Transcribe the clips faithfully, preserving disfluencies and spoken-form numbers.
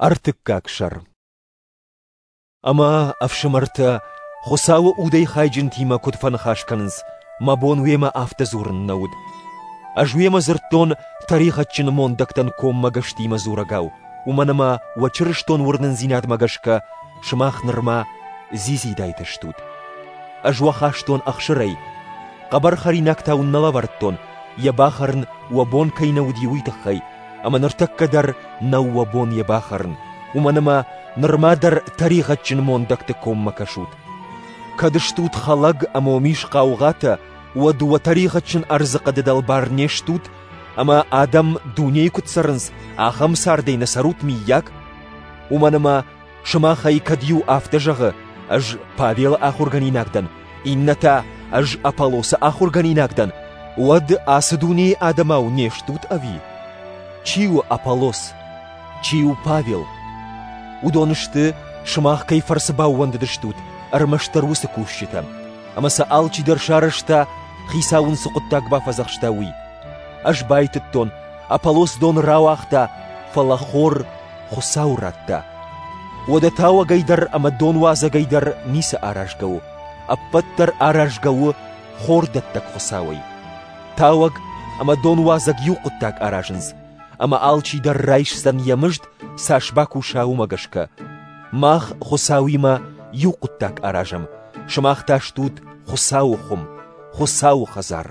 Ӕртыккаг сӕр. Ӕмӕ, ӕфсымӕртӕ, Хуыцауы удӕй хайджынтимӕ куыд фӕныхас кӕнынц, мӕ бон уемӕ афтӕ дзурын нӕ уыд. Ӕз уемӕ дзырдтон тӕригъӕдджын мондӕгтӕн коммӕгӕстимӕ дзурӕгау, уымӕн ӕмӕ уӕ чырыстон уырнындзинадмӕ гӕсгӕ сымах нырма дзидзидайтӕ стут. Ӕз уӕ хастон ӕхсырӕй, хъӕбӕр хӕринаг та уын нӕ лӕвӕрдтон, йӕ бахӕрын уӕ бон кӕй нӕ уыди, уый тыххӕй, ӕмӕ ныртӕккӕ дӕр нӕу уӕ бон йӕ бахӕрын, уымӕн ӕмӕ нырма дӕр тӕригъӕдджын мондӕгты коммӕ кӕсут. Кӕд стут хӕлӕг ӕмӕ уӕм ис хъаугъатӕ, уӕд уӕ тӕригъӕдджын ӕрдзыхъӕды дӕлбар не стут ӕмӕ адӕм дунейы куыд цӕрынц, ахӕм цардӕй нӕ цӕрут миййаг? Уымӕн ӕмӕ сымахӕй кӕд иу афтӕ зӕгъы, ӕз Павелы ахуыргӕнинаг дӕн, иннӕ та ӕз Аполлосы ахуыргӕнинаг дӕн, уӕд ацы дунейы адӕмау не стут ӕви? Чи у Аполлос? Чи у Павел? Уыдон сты, сымах кӕй фӕрцы баууӕндыдыстут, ӕрмӕстдӕр уыцы кусджытӕ. Ӕмӕ сӕ алчидӕр сарӕзта, Хицау ын цы хъуыддаг бафӕдзӕхста, уый. Ӕз байтыдтон, Аполлос дон рауагъта, фӕлӕ хор Хуыцау радта. Уӕдӕ тауӕгӕй дӕр ӕмӕ донуадзӕгӕй дӕр ницы аразгӕ у. Ӕппӕт дӕр аразгӕ у хордӕттӕг Хуыцауӕй. Тауӕг ӕмӕ донуадзӕг иу хъуыддаг аразынц, ӕмӕ алчи дӕр райсдзӕн йӕ мызд, цас бакуса, уымӕ гӕсгӕ. Мах Хуыцауимӕ иу хъуыддаг аразӕм, сымах та стут Хуыцауы хуым, Хуыцауы хӕдзар.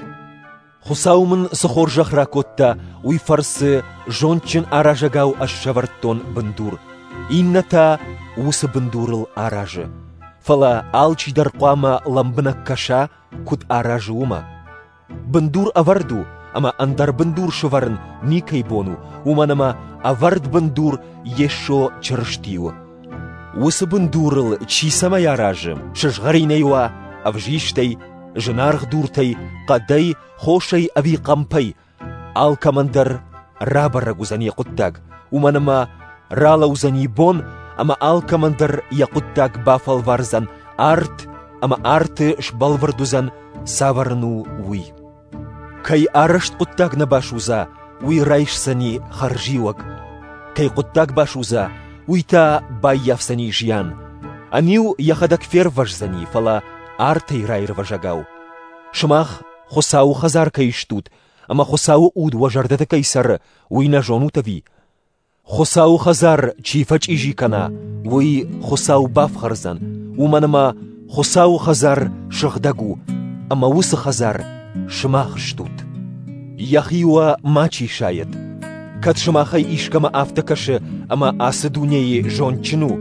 Хуыцау мын цы хорзӕх ракодта, уый фӕрцы зондджын аразӕгау ӕз сӕвӕрдтон бындур, иннӕ та уыцы бындурыл аразы. Фӕлӕ алчидӕр хъуамӕ лӕмбынӕг кӕса, куыд аразы, уымӕ. Бындур ӕвӕрд у, ӕмӕ ӕндӕр бындур сӕвӕрын никӕй бон у, уымӕн ӕмӕ ӕвӕрд бындур Йесо Чырысти у. Уыцы бындурыл чи цӕмӕй аразы, сызгъӕринӕй уа, ӕвзистӕй, зынаргъ дуртӕй, хъӕдӕй, хосӕй ӕви хъӕмпӕй, алкӕмӕн дӕр рабӕрӕг уыдзӕн йӕ хъуыддаг, уымӕн ӕмӕ ралӕудзӕни бон, ӕмӕ алкӕмӕн дӕр йӕ хъуыддаг бафӕлвардзӕн арт ӕмӕ арты сбӕлвырд уыдзӕн, цавӕр ын у, уый. Кӕй арӕзт хъуыддаг нӕ басудза, уый райсдзӕни хӕрзиуӕг. Кӕй хъуыддаг басудза, уый та баййафдзӕни зиан. Ӕниу йӕхӕдӕг фервӕздзӕни, фӕлӕ артӕй раирвӕзӕгау. Сымах Хуыцауы хӕдзар кӕй стут ӕмӕ Хуыцауы уд уӕ зӕрдӕты кӕй цӕры, уый нӕ зонут ӕви? Хуыцауы хӕдзар чи фӕчъизи кӕна, уый Хуыцау бафхӕрдзӕн, уымӕн ӕмӕ Хуыцауы хӕдзар сыгъдӕг у, ӕмӕ уыцы хӕдзар сымах стут. Йӕхи уӕ мачи сайӕд. Кӕд сымахӕй искӕмӕ афтӕ кӕсы, ӕмӕ ацы дунейы зондджын у,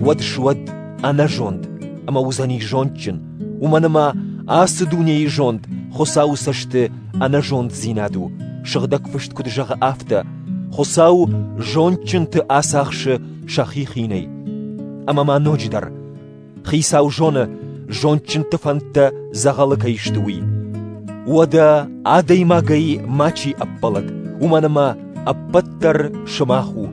уӕд суӕд ӕнӕзонд ӕмӕ уыдзӕни зондджын, уымӕн ӕмӕ ацы дунейы зонд Хуыцауы цӕсты ӕнӕзонддзинад у, сыгъдӕг фыст куыд зӕгъы, афтӕ: Хуыцау зондджынты ацахсы сӕхи хинӕй. Ӕмӕ ма ноджыдӕр Хицау зоны, зондджынты фӕндтӕ дзӕгъӕлы кӕй сты, уый. Уӕдӕ адӕймагӕй мачи ӕппӕлӕд, уымӕн ӕмӕ ӕппӕт дӕр сымах у.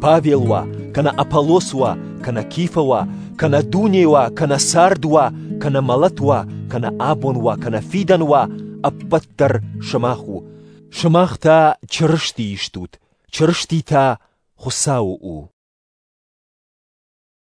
Павел уа, кӕнӕ Аполлос уа, кӕнӕ Кифа уа, кӕнӕ дуне уа, кӕнӕ цард уа, кӕнӕ мӕлӕт уа, кӕнӕ абон уа, кӕнӕ фидӕн уа, ӕппӕт дӕр сымах у. Сымах та Чырыстийы стут, Чырысти та Хуыцауы у.